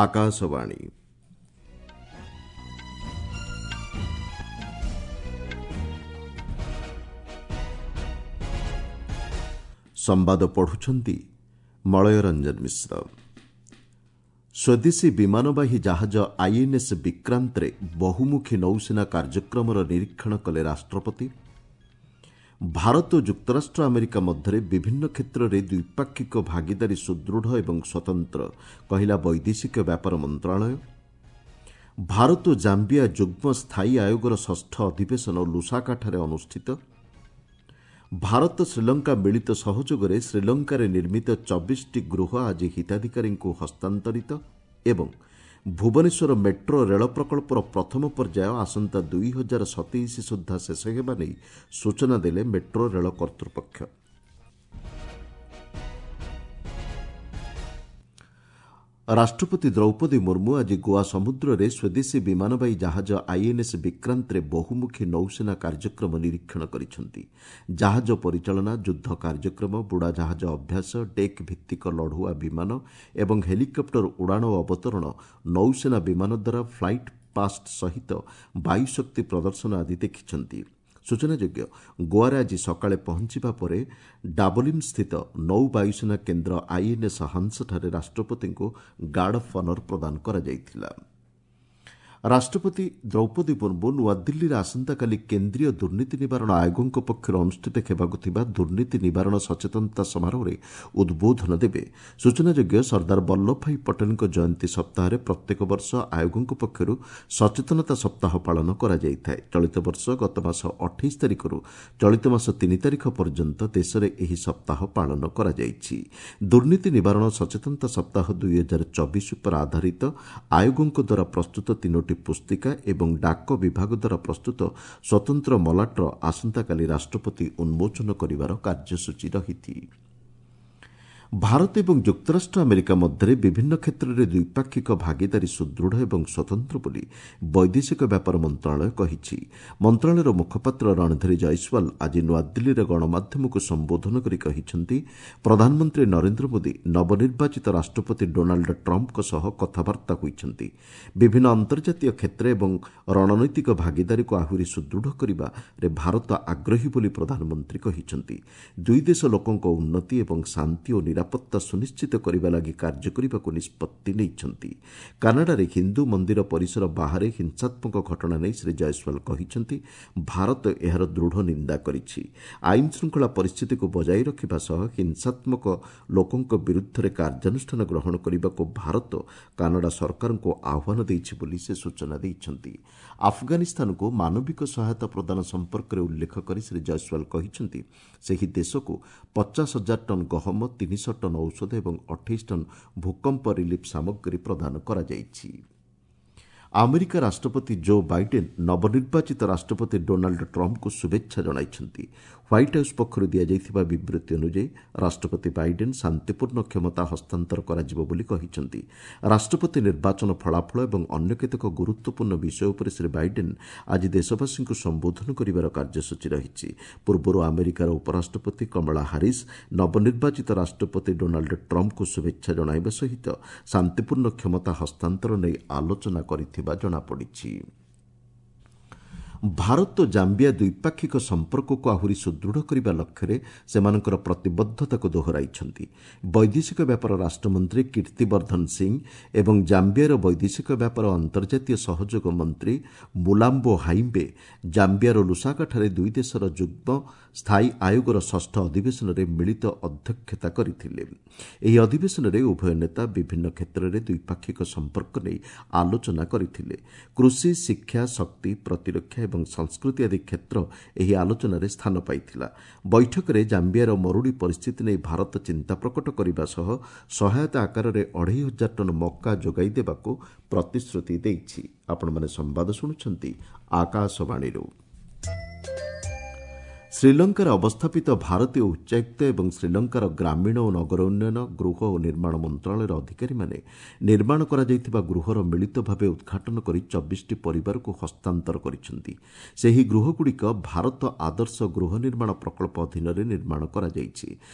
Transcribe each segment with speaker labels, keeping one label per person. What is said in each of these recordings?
Speaker 1: ଆକାଶବାଣୀ। ସମ୍ବାଦ ପଢୁଛନ୍ତି ମଳୟ ରଞ୍ଜନ ମିଶ୍ର। ସ୍ୱଦେଶୀ ବିମାନବାହୀ ଜାହାଜ ଆଇଏନ୍ଏସ୍ ବିକ୍ରାନ୍ତରେ ବହୁମୁଖୀ ନୌସେନା କାର୍ଯ୍ୟକ୍ରମର ନିରୀକ୍ଷଣ କଲେ ରାଷ୍ଟ୍ରପତି। ଭାରତ ଓ ଯୁକ୍ତରାଷ୍ଟ୍ର ଆମେରିକା ମଧ୍ୟରେ ବିଭିନ୍ନ କ୍ଷେତ୍ରରେ ଦ୍ୱିପାକ୍ଷିକ ଭାଗିଦାରୀ ସୁଦୃଢ଼ ଏବଂ ସ୍ୱତନ୍ତ୍ର, କହିଲା ବୈଦେଶିକ ବ୍ୟାପାର ମନ୍ତ୍ରଣାଳୟ। ଭାରତ ଓ ଜାମ୍ବିଆ ଯୁଗ୍ମ ସ୍ଥାୟୀ ଆୟୋଗର ଷଷ୍ଠ ଅଧିବେଶନ ଲୁସାକାଠାରେ ଅନୁଷ୍ଠିତ। ଭାରତ ଶ୍ରୀଲଙ୍କା ମିଳିତ ସହଯୋଗରେ ଶ୍ରୀଲଙ୍କାରେ ନିର୍ମିତ 24ଟି ଗୃହ ଆଜି ହିତାଧିକାରୀଙ୍କୁ ହସ୍ତାନ୍ତରିତ ଏବଂ ଭୁବନେଶ୍ୱର ମେଟ୍ରୋ ରେଳ ପ୍ରକଳ୍ପର ପ୍ରଥମ ପର୍ଯ୍ୟାୟ ଆସନ୍ତା 2027 ସୁଦ୍ଧା ଶେଷ ହେବା ନେଇ ସୂଚନା ଦେଲେ ମେଟ୍ରୋ ରେଳ କର୍ତ୍ତୃପକ୍ଷ। ରାଷ୍ଟ୍ରପତି ଦ୍ରୌପଦୀ ମୁର୍ମୁ ଆଜି ଗୋଆ ସମୁଦ୍ରରେ ସ୍ୱଦେଶୀ ବିମାନବାହୀ ଜାହାଜ ଆଇଏନ୍ଏସ୍ ବିକ୍ରାନ୍ତରେ ବହୁମୁଖୀ ନୌସେନା କାର୍ଯ୍ୟକ୍ରମ ନିରୀକ୍ଷଣ କରିଛନ୍ତି। ଜାହାଜ ପରିଚାଳନା, ଯୁଦ୍ଧ କାର୍ଯ୍ୟକ୍ରମ, ବୁଡ଼ାଜାହାଜ ଅଭ୍ୟାସ, ଡେକ୍ ଭିତ୍ତିକ ଲଢୁଆ ବିମାନ ଏବଂ ହେଲିକପ୍ଟର ଉଡ଼ାଣ ଓ ଅବତରଣ, ନୌସେନା ବିମାନ ଦ୍ୱାରା ଫ୍ଲାଇଟ୍ ପାଷ୍ଟ ସହିତ ବାୟୁଶକ୍ତି ପ୍ରଦର୍ଶନ ଆଦି ଦେଖିଛନ୍ତି। ସୂଚନାଯୋଗ୍ୟ, ଗୋଆରେ ଆଜି ସକାଳେ ପହଞ୍ଚିବା ପରେ ଡାବୋଲିମ୍ସ୍ଥିତ ନୌ ବାୟୁସେନା କେନ୍ଦ୍ର ଆଇଏନ୍ଏସ୍ ହଂସଠାରେ ରାଷ୍ଟ୍ରପତିଙ୍କୁ ଗାର୍ଡ ଅଫ୍ ଅନର୍ ପ୍ରଦାନ କରାଯାଇଥିଲା। ରାଷ୍ଟ୍ରପତି ଦ୍ରୌପଦୀ ମୁର୍ମୁ ନୂଆଦିଲ୍ଲୀରେ ଆସନ୍ତାକାଲି କେନ୍ଦ୍ରୀୟ ଦୁର୍ନୀତି ନିବାରଣ ଆୟୋଗଙ୍କ ପକ୍ଷରୁ ଅନୁଷ୍ଠିତ ହେବାକୁ ଥିବା ଦୁର୍ନୀତି ନିବାରଣ ସଚେତନତା ସମାରୋହରେ ଉଦ୍ବୋଧନ ଦେବେ। ସୂଚନାଯୋଗ୍ୟ, ସର୍ଦ୍ଦାର ବଲ୍ଲଭଭାଇ ପଟେଲଙ୍କ ଜୟନ୍ତୀ ସପ୍ତାହରେ ପ୍ରତ୍ୟେକ ବର୍ଷ ଆୟୋଗଙ୍କ ପକ୍ଷରୁ ସଚେତନତା ସପ୍ତାହ ପାଳନ କରାଯାଇଥାଏ। ଚଳିତ ବର୍ଷ ଗତମାସ 28 ତାରିଖରୁ ଚଳିତ ମାସ 3 ତାରିଖ ପର୍ଯ୍ୟନ୍ତ ଦେଶରେ ଏହି ସପ୍ତାହ ପାଳନ କରାଯାଇଛି। ଦୁର୍ନୀତି ନିବାରଣ ସଚେତନତା ସପ୍ତାହ 2024 ଉପରେ ଆଧାରିତ ଆୟୋଗଙ୍କ ଦ୍ୱାରା ପ୍ରସ୍ତୁତ 3ଟି ପୁସ୍ତିକା ଏବଂ ଡାକ ବିଭାଗ ଦ୍ୱାରା ପ୍ରସ୍ତୁତ ସ୍ୱତନ୍ତ୍ର ମଲାଟର ଆସନ୍ତାକାଲି ରାଷ୍ଟ୍ରପତି ଉନ୍ମୋଚନ କରିବାର କାର୍ଯ୍ୟସୂଚୀ ରହିଛି। ଭାରତ ଏବଂ ଯୁକ୍ତରାଷ୍ଟ୍ର ଆମେରିକା ମଧ୍ୟରେ ବିଭିନ୍ନ କ୍ଷେତ୍ରରେ ଦ୍ୱିପାକ୍ଷିକ ଭାଗିଦାରୀ ସୁଦୃଢ଼ ଏବଂ ସ୍ୱତନ୍ତ୍ର ବୋଲି ବୈଦେଶିକ ବ୍ୟାପାର ମନ୍ତ୍ରଣାଳୟ କହିଛି। ମନ୍ତ୍ରଣାଳୟର ମୁଖପାତ୍ର ରଣଧୀର ଜୟସ୍ୱାଲ ଆଜି ନୂଆଦିଲ୍ଲୀରେ ଗଣମାଧ୍ୟମକୁ ସମ୍ବୋଧନ କରି କହିଛନ୍ତି, ପ୍ରଧାନମନ୍ତ୍ରୀ ନରେନ୍ଦ୍ର ମୋଦି ନବନିର୍ବାଚିତ ରାଷ୍ଟ୍ରପତି ଡୋନାଲ୍ଡ ଟ୍ରମ୍ପଙ୍କ ସହ କଥାବାର୍ତ୍ତା ହୋଇଛନ୍ତି। ବିଭିନ୍ନ ଅନ୍ତର୍ଜାତୀୟ କ୍ଷେତ୍ର ଏବଂ ରଣନୈତିକ ଭାଗିଦାରୀକୁ ଆହୁରି ସୁଦୃଢ଼ କରିବାରେ ଭାରତ ଆଗ୍ରହୀ ବୋଲି ପ୍ରଧାନମନ୍ତ୍ରୀ କହିଛନ୍ତି। ଦୁଇ ଦେଶ ଲୋକଙ୍କ ଉନ୍ନତି ଏବଂ ଶାନ୍ତି ଓ ନିରାପତ୍ତା ସୁନିଶ୍ଚିତ କରିବା ଲାଗି କାର୍ଯ୍ୟ କରିବାକୁ ନିଷ୍ପତ୍ତି ନେଇଛନ୍ତି। କାନାଡାରେ ହିନ୍ଦୁ ମନ୍ଦିର ପରିସର ବାହାରେ ହିଂସାତ୍ମକ ଘଟଣା ନେଇ ଶ୍ରୀ ଜୟସ୍ୱାଲ କହିଛନ୍ତି, ଭାରତ ଏହାର ଦୃଢ଼ ନିନ୍ଦା କରିଛି। ଆଇନ ଶୃଙ୍ଖଳା ପରିସ୍ଥିତିକୁ ବଜାୟ ରଖିବା ସହ ହିଂସାତ୍ମକ ଲୋକଙ୍କ ବିରୁଦ୍ଧରେ କାର୍ଯ୍ୟାନୁଷ୍ଠାନ ଗ୍ରହଣ କରିବାକୁ ଭାରତ କାନାଡା ସରକାରଙ୍କୁ ଆହ୍ୱାନ ଦେଇଛି ବୋଲି ସେ ସୂଚନା ଦେଇଛନ୍ତି। ଆଫଗାନିସ୍ତାନକୁ ମାନବିକ ସହାୟତା ପ୍ରଦାନ ସମ୍ପର୍କରେ ଉଲ୍ଲେଖ କରି ଶ୍ରୀ ଜୟସ୍ୱାଲ କହିଛନ୍ତି, ସେହି ଦେଶକୁ 50,000 ଟନ୍ ଗହମ, 300 ଟନ୍ ଔଷଧ ଏବଂ 28 ଟନ୍ ଭୂକମ୍ପ ରିଲିଫ୍ ସାମଗ୍ରୀ ପ୍ରଦାନ କରାଯାଇଛି। ଆମେରିକା ରାଷ୍ଟ୍ରପତି ଜୋ ବାଇଡେନ୍ ନବନିର୍ବାଚିତ ରାଷ୍ଟ୍ରପତି ଡୋନାଲ୍ଡ ଟ୍ରମ୍ପଙ୍କୁ ଶୁଭେଚ୍ଛା ଜଣାଇଛନ୍ତି। ହ୍ୱାଇଟ୍ ହାଉସ୍ ପକ୍ଷରୁ ଦିଆଯାଇଥିବା ବିବୃତ୍ତି ଅନୁଯାୟୀ ରାଷ୍ଟ୍ରପତି ବାଇଡେନ୍ ଶାନ୍ତିପୂର୍ଣ୍ଣ କ୍ଷମତା ହସ୍ତାନ୍ତର କରାଯିବ ବୋଲି କହିଛନ୍ତି। ରାଷ୍ଟ୍ରପତି ନିର୍ବାଚନ ଫଳାଫଳ ଏବଂ ଅନ୍ୟ କେତେକ ଗୁରୁତ୍ୱପୂର୍ଣ୍ଣ ବିଷୟ ଉପରେ ଶ୍ରୀ ବାଇଡେନ୍ ଆଜି ଦେଶବାସୀଙ୍କୁ ସମ୍ବୋଧନ କରିବାର କାର୍ଯ୍ୟସୂଚୀ ରହିଛି। ପୂର୍ବରୁ ଆମେରିକାର ଉପରାଷ୍ଟ୍ରପତି କମଳା ହାରିସ୍ ନବନିର୍ବାଚିତ ରାଷ୍ଟ୍ରପତି ଡୋନାଲ୍ଡ ଟ୍ରମ୍ପଙ୍କୁ ଶୁଭେଚ୍ଛା ଜଣାଇବା ସହିତ ଶାନ୍ତିପୂର୍ଣ୍ଣ କ୍ଷମତା ହସ୍ତାନ୍ତର ନେଇ ଆଲୋଚନା କରିଥିବା ଜଣାପଡ଼ିଛି। ଭାରତ ଜାମ୍ବିଆ ଦ୍ୱିପାକ୍ଷିକ ସମ୍ପର୍କକୁ ଆହୁରି ସୁଦୃଢ଼ କରିବା ଲକ୍ଷ୍ୟରେ ସେମାନଙ୍କର ପ୍ରତିବଦ୍ଧତାକୁ ଦୋହରାଇଛନ୍ତି। ବୈଦେଶିକ ବ୍ୟାପାର ରାଷ୍ଟ୍ରମନ୍ତ୍ରୀ କୀର୍ତ୍ତିବର୍ଦ୍ଧନ ସିଂ ଏବଂ ଜାମ୍ବିଆର ବୈଦେଶିକ ବ୍ୟାପାର ଅନ୍ତର୍ଜାତୀୟ ସହଯୋଗ ମନ୍ତ୍ରୀ ମୁଲାମ୍ବୋ ହାଇମ୍ବେ ଜାମ୍ବିଆର ଲୁସାକାଠାରେ ଦୁଇ ଦେଶର ଯୁଗ୍ମ ସ୍ଥାୟୀ ଆୟୋଗର ଷଷ୍ଠ ଅଧିବେଶନରେ ମିଳିତ ଅଧ୍ୟକ୍ଷତା କରିଥିଲେ। ଏହି ଅଧିବେଶନରେ ଉଭୟ ନେତା ବିଭିନ୍ନ କ୍ଷେତ୍ରରେ ଦ୍ୱିପାକ୍ଷିକ ସମ୍ପର୍କ ନେଇ ଆଲୋଚନା କରିଥିଲେ। କୃଷି, ଶିକ୍ଷା, ଶକ୍ତି, ପ୍ରତିରକ୍ଷା ଏବଂ ସଂସ୍କୃତି ଆଦି କ୍ଷେତ୍ର ଏହି ଆଲୋଚନାରେ ସ୍ଥାନ ପାଇଥିଲା। ବୈଠକରେ ଜାମ୍ବିଆର ମରୁଡ଼ି ପରିସ୍ଥିତି ନେଇ ଭାରତ ଚିନ୍ତା ପ୍ରକଟ କରିବା ସହ ସହାୟତା ଆକାରରେ 2,500 ଟନ୍ ମକା ଯୋଗାଇ ଦେବାକୁ ପ୍ରତିଶ୍ରୁତି ଦେଇଛି। ଆପଣମାନେ ସମ୍ବାଦ ଶୁଣୁଛନ୍ତି ଆକାଶବାଣୀରୁ। ଶ୍ରୀଲଙ୍କାରେ ଅବସ୍ଥାପିତ ଭାରତୀୟ ଉଚ୍ଚାୟୁକ୍ତ ଏବଂ ଶ୍ରୀଲଙ୍କାର ଗ୍ରାମୀଣ ଓ ନଗର ଉନ୍ନୟନ, ଗୃହ ଓ ନିର୍ମାଣ ମନ୍ତ୍ରଣାଳୟର ଅଧିକାରୀମାନେ ନିର୍ମାଣ କରାଯାଇଥିବା ଗୃହର ମିଳିତ ଭାବେ ଉଦ୍ଘାଟନ କରି 24ଟି ପରିବାରକୁ ହସ୍ତାନ୍ତର କରିଛନ୍ତି। ସେହି ଗୃହଗୁଡ଼ିକ ଭାରତ ଆଦର୍ଶ ଗୃହ ନିର୍ମାଣ ପ୍ରକଳ୍ପ ଅଧୀନରେ ନିର୍ମାଣ କରାଯାଇଛି।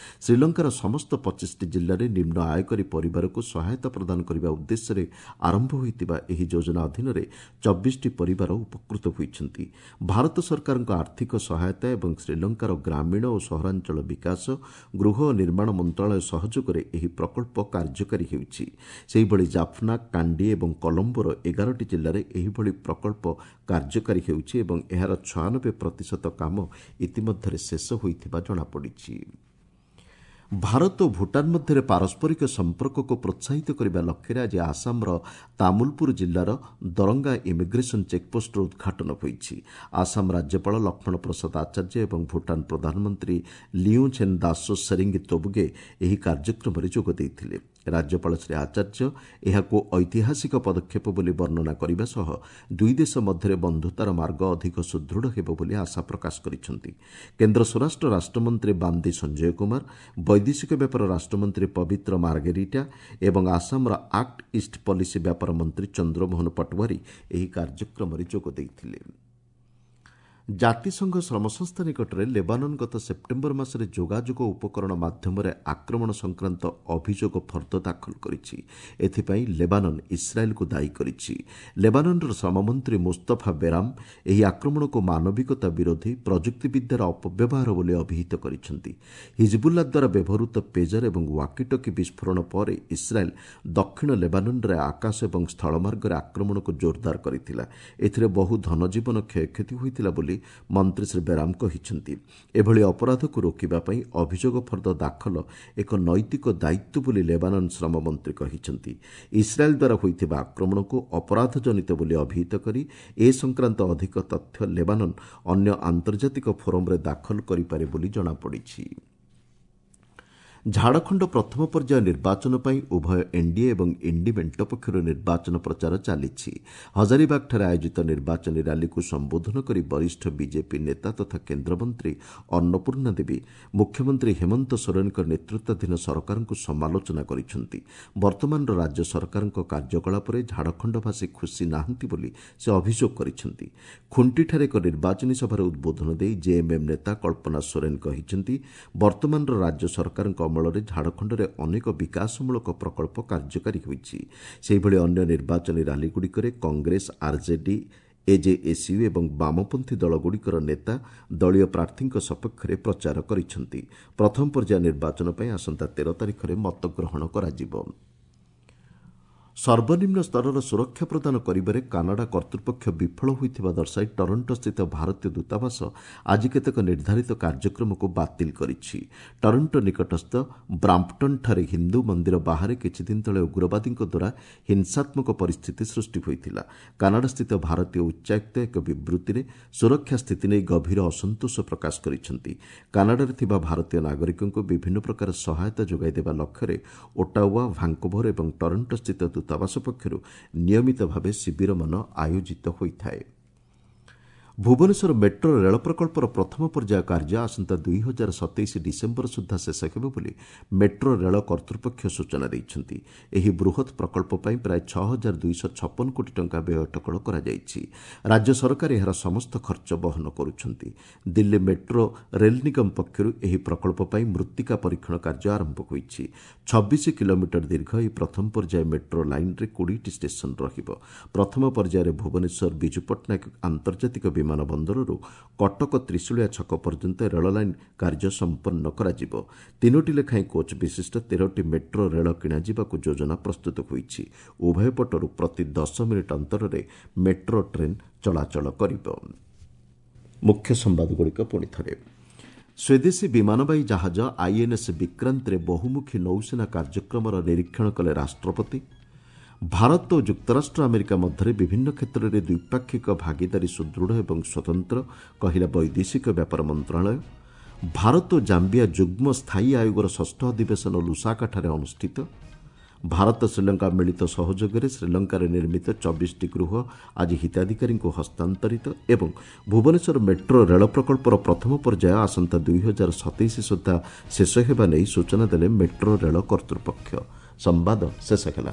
Speaker 1: ଶ୍ରୀଲଙ୍କାର ସମସ୍ତ 25ଟି ଜିଲ୍ଲାରେ ନିମ୍ନ ଆୟକାରୀ ପରିବାରକୁ ସହାୟତା ପ୍ରଦାନ କରିବା ଉଦ୍ଦେଶ୍ୟରେ ଆରମ୍ଭ ହୋଇଥିବା ଏହି ଯୋଜନା ଅଧୀନରେ 24ଟି ପରିବାର ଉପକୃତ ହୋଇଛନ୍ତି। ଭାରତ ସରକାରଙ୍କ ଆର୍ଥିକ ସହାୟତା ଏବଂ ଶ୍ରୀଲଙ୍କାର ଗ୍ରାମୀଣ ଓ ସହରାଞ୍ଚଳ ବିକାଶ, ଗୃହ ଓ ନିର୍ମାଣ ମନ୍ତ୍ରଣାଳୟ ସହଯୋଗରେ ଏହି ପ୍ରକଳ୍ପ କାର୍ଯ୍ୟକାରୀ ହେଉଛି। ସେହିଭଳି ଜାଫ୍ନା, କାଣ୍ଡି ଏବଂ କଲମ୍ବୋର 11ଟି ଜିଲ୍ଲାରେ ଏହିଭଳି ପ୍ରକଳ୍ପ କାର୍ଯ୍ୟକାରୀ ହେଉଛି ଏବଂ ଏହାର 96% କାମ ଇତିମଧ୍ୟରେ ଶେଷ ହୋଇଥିବା ଜଣାପଡ଼ିଛି। ଭାରତ ଓ ଭୁଟାନ ମଧ୍ୟରେ ପାରସ୍ପରିକ ସମ୍ପର୍କକୁ ପ୍ରୋତ୍ସାହିତ କରିବା ଲକ୍ଷ୍ୟରେ ଆଜି ଆସାମର ତାମୁଲପୁର ଜିଲ୍ଲାର ଦରଙ୍ଗା ଇମିଗ୍ରେସନ ଚେକ୍ପୋଷ୍ଟର ଉଦ୍ଘାଟନ ହୋଇଛି। ଆସାମ ରାଜ୍ୟପାଳ ଲକ୍ଷ୍ମଣ ପ୍ରସାଦ ଆଚାର୍ଯ୍ୟ ଏବଂ ଭୁଟାନ ପ୍ରଧାନମନ୍ତ୍ରୀ ଲିଉଛେନ୍ ଦାସୋ ସେରିଙ୍ଗି ତୋବଗେ ଏହି କାର୍ଯ୍ୟକ୍ରମରେ ଯୋଗ ଦେଇଥିଲେ। ରାଜ୍ୟପାଳ ଶ୍ରୀ ଆଚାର୍ଯ୍ୟ ଏହାକୁ ଐତିହାସିକ ପଦକ୍ଷେପ ବୋଲି ବର୍ଣ୍ଣନା କରିବା ସହ ଦୁଇ ଦେଶ ମଧ୍ୟରେ ବନ୍ଧୁତାର ମାର୍ଗ ଅଧିକ ସୁଦୃଢ଼ ହେବ ବୋଲି ଆଶା ପ୍ରକାଶ କରିଛନ୍ତି। କେନ୍ଦ୍ର ସ୍ୱରାଷ୍ଟ୍ର ରାଷ୍ଟ୍ରମନ୍ତ୍ରୀ ବାନ୍ଦି ସଞ୍ଜୟ କୁମାର, ବୈଦେଶିକ ବ୍ୟାପାର ରାଷ୍ଟ୍ରମନ୍ତ୍ରୀ ପବିତ୍ର ମାର୍ଗେରିଟା ଏବଂ ଆସାମର ଆକ୍ଟ ଇଷ୍ଟ ପଲିସି ବ୍ୟାପାର ମନ୍ତ୍ରୀ ଚନ୍ଦ୍ରମୋହନ ପଟୱାରୀ ଏହି କାର୍ଯ୍ୟକ୍ରମରେ ଯୋଗ ଦେଇଥିଲେ। ଜାତିସଂଘ ଶ୍ରମ ସଂସ୍ଥା ନିକଟରେ ଲେବାନନ ଗତ ସେପ୍ଟେମ୍ବର ମାସରେ ଯୋଗାଯୋଗ ଉପକରଣ ମାଧ୍ୟମରେ ଆକ୍ରମଣ ସଂକ୍ରାନ୍ତ ଅଭିଯୋଗ ଫର୍ଦ୍ଦ ଦାଖଲ କରିଛି। ଏଥିପାଇଁ ଲେବାନନ ଇସ୍ରାଏଲ୍କୁ ଦାୟୀ କରିଛି। ଲେବାନନର ଶ୍ରମମନ୍ତ୍ରୀ ମୁସ୍ତଫା ବେରାମ ଏହି ଆକ୍ରମଣକୁ ମାନବିକତା ବିରୋଧୀ ପ୍ରଯୁକ୍ତିବିଦ୍ୟାର ଅପବ୍ୟବହାର ବୋଲି ଅଭିହିତ କରିଛନ୍ତି। ହିଜବୁଲ୍ଲା ଦ୍ୱାରା ବ୍ୟବହୃତ ପେଜର ଏବଂ ୱାକିଟକି ବିସ୍ଫୋରଣ ପରେ ଇସ୍ରାଏଲ୍ ଦକ୍ଷିଣ ଲେବାନନରେ ଆକାଶ ଏବଂ ସ୍ଥଳମାର୍ଗରେ ଆକ୍ରମଣକୁ ଜୋରଦାର କରିଥିଲା। ଏଥିରେ ବହୁ ଧନଜୀବନ କ୍ଷୟକ୍ଷତି ହୋଇଥିଲା ବୋଲି ମନ୍ତ୍ରୀ ଶ୍ରୀ ବେରାମ କହିଛନ୍ତି। ଏଭଳି ଅପରାଧକୁ ରୋକିବା ପାଇଁ ଅଭିଯୋଗ ଫର୍ଦ୍ଦ ଦାଖଲ ଏକ ନୈତିକ ଦାୟିତ୍ୱ ବୋଲି ଲେବାନନ ଶ୍ରମମନ୍ତ୍ରୀ କହିଛନ୍ତି। ଇସ୍ରାଏଲ୍ ଦ୍ୱାରା ହୋଇଥିବା ଆକ୍ରମଣକୁ ଅପରାଧଜନିତ ବୋଲି ଅଭିହିତ କରି ଏ ସଂକ୍ରାନ୍ତ ଅଧିକ ତଥ୍ୟ ଲେବାନନ ଅନ୍ୟ ଆନ୍ତର୍ଜାତିକ ଫୋରମ୍ରେ ଦାଖଲ କରିପାରେ ବୋଲି ଜଣାପଡ଼ିଛି। ଝାଡ଼ଖଣ୍ଡ ପ୍ରଥମ ପର୍ଯ୍ୟାୟ ନିର୍ବାଚନ ପାଇଁ ଉଭୟ ଏନ୍ଡିଏ ଏବଂ ଇଣ୍ଡି ମେଣ୍ଟ ପକ୍ଷରୁ ନିର୍ବାଚନ ପ୍ରଚାର ଚାଲିଛି। ହଜାରିବାଗଠାରେ ଆୟୋଜିତ ନିର୍ବାଚନୀ ର୍ୟାଲିକୁ ସମ୍ବୋଧନ କରି ବରିଷ୍ଠ ବିଜେପି ନେତା ତଥା କେନ୍ଦ୍ରମନ୍ତ୍ରୀ ଅନ୍ନପୂର୍ଣ୍ଣା ଦେବୀ ମୁଖ୍ୟମନ୍ତ୍ରୀ ହେମନ୍ତ ସୋରେନଙ୍କ ନେତୃତ୍ୱାଧୀନ ସରକାରଙ୍କୁ ସମାଲୋଚନା କରିଛନ୍ତି। ବର୍ତ୍ତମାନର ରାଜ୍ୟ ସରକାରଙ୍କ କାର୍ଯ୍ୟକଳାପରେ ଝାଡ଼ଖଣ୍ଡବାସୀ ଖୁସି ନାହାନ୍ତି ବୋଲି ସେ ଅଭିଯୋଗ କରିଛନ୍ତି। ଖୁଣ୍ଟିଠାରେ ଏକ ନିର୍ବାଚନୀ ସଭାରେ ଉଦ୍ବୋଧନ ଦେଇ ଜେଏମ୍ଏମ୍ ନେତା କଳ୍ପନା ସୋରେନ କହିଛନ୍ତି, ବର୍ତ୍ତମାନର ରାଜ୍ୟ ସରକାରଙ୍କ ଅମଳରେ ଝାଡ଼ଖଣ୍ଡରେ ଅନେକ ବିକାଶମୂଳକ ପ୍ରକଳ୍ପ କାର୍ଯ୍ୟକାରୀ ହୋଇଛି। ସେହିଭଳି ଅନ୍ୟ ନିର୍ବାଚନୀ ର୍ୟାଲିଗୁଡ଼ିକରେ କଂଗ୍ରେସ, ଆର୍ଜେଡି, ଏଜେଏସ୍ୟୁ ଏବଂ ବାମପନ୍ଥୀ ଦଳଗୁଡ଼ିକର ନେତା ଦଳୀୟ ପ୍ରାର୍ଥୀଙ୍କ ସପକ୍ଷରେ ପ୍ରଚାର କରିଛନ୍ତି। ପ୍ରଥମ ପର୍ଯ୍ୟାୟ ନିର୍ବାଚନ ପାଇଁ ଆସନ୍ତା 13 ତାରିଖରେ ମତଗ୍ରହଣ କରାଯିବ। ସର୍ବନିମ୍ନ ସ୍ତରର ସୁରକ୍ଷା ପ୍ରଦାନ କରିବାରେ କାନାଡା କର୍ତ୍ତୃପକ୍ଷ ବିଫଳ ହୋଇଥିବା ଦର୍ଶାଇ ଟରଣ୍ଟୋସ୍ଥିତ ଭାରତୀୟ ଦୂତାବାସ ଆଜି କେତେକ ନିର୍ଦ୍ଧାରିତ କାର୍ଯ୍ୟକ୍ରମକୁ ବାତିଲ କରିଛି। ଟରଣ୍ଟୋ ନିକଟସ୍ଥ ବ୍ରାମ୍ପଟନ୍ଠାରେ ହିନ୍ଦୁ ମନ୍ଦିର ବାହାରେ କିଛିଦିନ ତଳେ ଉଗ୍ରବାଦୀଙ୍କ ଦ୍ୱାରା ହିଂସାତ୍ମକ ପରିସ୍ଥିତି ସୃଷ୍ଟି ହୋଇଥିଲା। କାନାଡାସ୍ଥିତ ଭାରତୀୟ ଉଚ୍ଚାୟୁକ୍ତ ଏକ ବିବୃତ୍ତିରେ ସୁରକ୍ଷା ସ୍ଥିତି ନେଇ ଗଭୀର ଅସନ୍ତୋଷ ପ୍ରକାଶ କରିଛନ୍ତି। କାନାଡାରେ ଥିବା ଭାରତୀୟ ନାଗରିକଙ୍କୁ ବିଭିନ୍ନ ପ୍ରକାର ସହାୟତା ଯୋଗାଇ ଦେବା ଲକ୍ଷ୍ୟରେ ଓଟାୱା, ଭାଙ୍କୋଭର ଏବଂ ଟରଣ୍ଟୋସ୍ଥିତ ଦୂତାବାସ ପକ୍ଷରୁ ନିୟମିତ ଭାବେ ଶିବିରମାନ ଆୟୋଜିତ ହୋଇଥାଏ। ଭୁବନେଶ୍ୱର ମେଟ୍ରୋ ରେଳ ପ୍ରକଳ୍ପର ପ୍ରଥମ ପର୍ଯ୍ୟାୟ କାର୍ଯ୍ୟ ଆସନ୍ତା 2027 ଡିସେମ୍ବର ସୁଦ୍ଧା ଶେଷ ହେବ ବୋଲି ମେଟ୍ରୋ ରେଳ କର୍ତ୍ତୃପକ୍ଷ ସୂଚନା ଦେଇଛନ୍ତି। ଏହି ବୃହତ୍ ପ୍ରକଳ୍ପ ପାଇଁ ପ୍ରାୟ 6256 କୋଟି ଟଙ୍କା ବ୍ୟୟ ଅଟକଳ କରାଯାଇଛି। ରାଜ୍ୟ ସରକାର ଏହାର ସମସ୍ତ ଖର୍ଚ୍ଚ ବହନ କରୁଛନ୍ତି। ଦିଲ୍ଲୀ ମେଟ୍ରୋ ରେଲ୍ ନିଗମ ପକ୍ଷରୁ ଏହି ପ୍ରକଳ୍ପ ପାଇଁ ମୃତ୍ତିକା ପରୀକ୍ଷଣ କାର୍ଯ୍ୟ ଆରମ୍ଭ ହୋଇଛି। 26 କିଲୋମିଟର ଦୀର୍ଘ ଏହି ପ୍ରଥମ ପର୍ଯ୍ୟାୟ ମେଟ୍ରୋ ଲାଇନ୍ରେ 20ଟି ଷ୍ଟେସନ ରହିବ। ପ୍ରଥମ ପର୍ଯ୍ୟାୟରେ ଭୁବନେଶ୍ୱର ବିଜୁ ପଟ୍ଟନାୟକ ଆନ୍ତର୍ଜାତିକ ବିମାନ ବନ୍ଦରରୁ କଟକ ତ୍ରିଶୁଳିଆ ଛକ ପର୍ଯ୍ୟନ୍ତ ରେଳ ଲାଇନ୍ କାର୍ଯ୍ୟ ସମ୍ପନ୍ନ କରାଯିବ। 3ଟି ଲେଖାଏଁ କୋଚ୍ ବିଶିଷ୍ଟ 13ଟି ମେଟ୍ରୋ ରେଳ କିଣାଯିବାକୁ ଯୋଜନା ପ୍ରସ୍ତୁତ ହୋଇଛି। ଉଭୟ ପଟରୁ ପ୍ରତି 10 ମିନିଟ୍ ଅନ୍ତରରେ ମେଟ୍ରୋ ଟ୍ରେନ୍ ଚଳାଚଳ କରିବ। ମୁଖ୍ୟ ସମ୍ବାଦଗୁଡ଼ିକ ପୁଣି ଥରେ। ସ୍ୱଦେଶୀ ବିମାନବାହୀ ଜାହାଜ ଆଇଏନ୍ଏସ୍ ବିକ୍ରାନ୍ତରେ ବହୁମୁଖୀ ନୌସେନା କାର୍ଯ୍ୟକ୍ରମର ନିରୀକ୍ଷଣ କଲେ ରାଷ୍ଟ୍ରପତି। ଭାରତ ଓ ଯୁକ୍ତରାଷ୍ଟ୍ର ଆମେରିକା ମଧ୍ୟରେ ବିଭିନ୍ନ କ୍ଷେତ୍ରରେ ଦ୍ୱିପାକ୍ଷିକ ଭାଗିଦାରୀ ସୁଦୃଢ଼ ଏବଂ ସ୍ୱତନ୍ତ୍ର, କହିଲା ବୈଦେଶିକ ବ୍ୟାପାର ମନ୍ତ୍ରଣାଳୟ। ଭାରତ ଓ ଜାମ୍ବିଆ ଯୁଗ୍ମ ସ୍ଥାୟୀ ଆୟୋଗର ଷଷ୍ଠ ଅଧିବେଶନ ଲୁସାକାଠାରେ ଅନୁଷ୍ଠିତ। ଭାରତ ଶ୍ରୀଲଙ୍କା ମିଳିତ ସହଯୋଗରେ ଶ୍ରୀଲଙ୍କାରେ ନିର୍ମିତ 24ଟି ଗୃହ ଆଜି ହିତାଧିକାରୀଙ୍କୁ ହସ୍ତାନ୍ତରିତ ଏବଂ ଭୁବନେଶ୍ୱର ମେଟ୍ରୋ ରେଳ ପ୍ରକଳ୍ପର ପ୍ରଥମ ପର୍ଯ୍ୟାୟ ଆସନ୍ତା 2027 ସୁଦ୍ଧା ଶେଷ ହେବା ନେଇ ସୂଚନା ଦେଲେ ମେଟ୍ରୋ ରେଳ କର୍ତ୍ତୃପକ୍ଷ। ସମ୍ବାଦ ଶେଷ ହେଲା।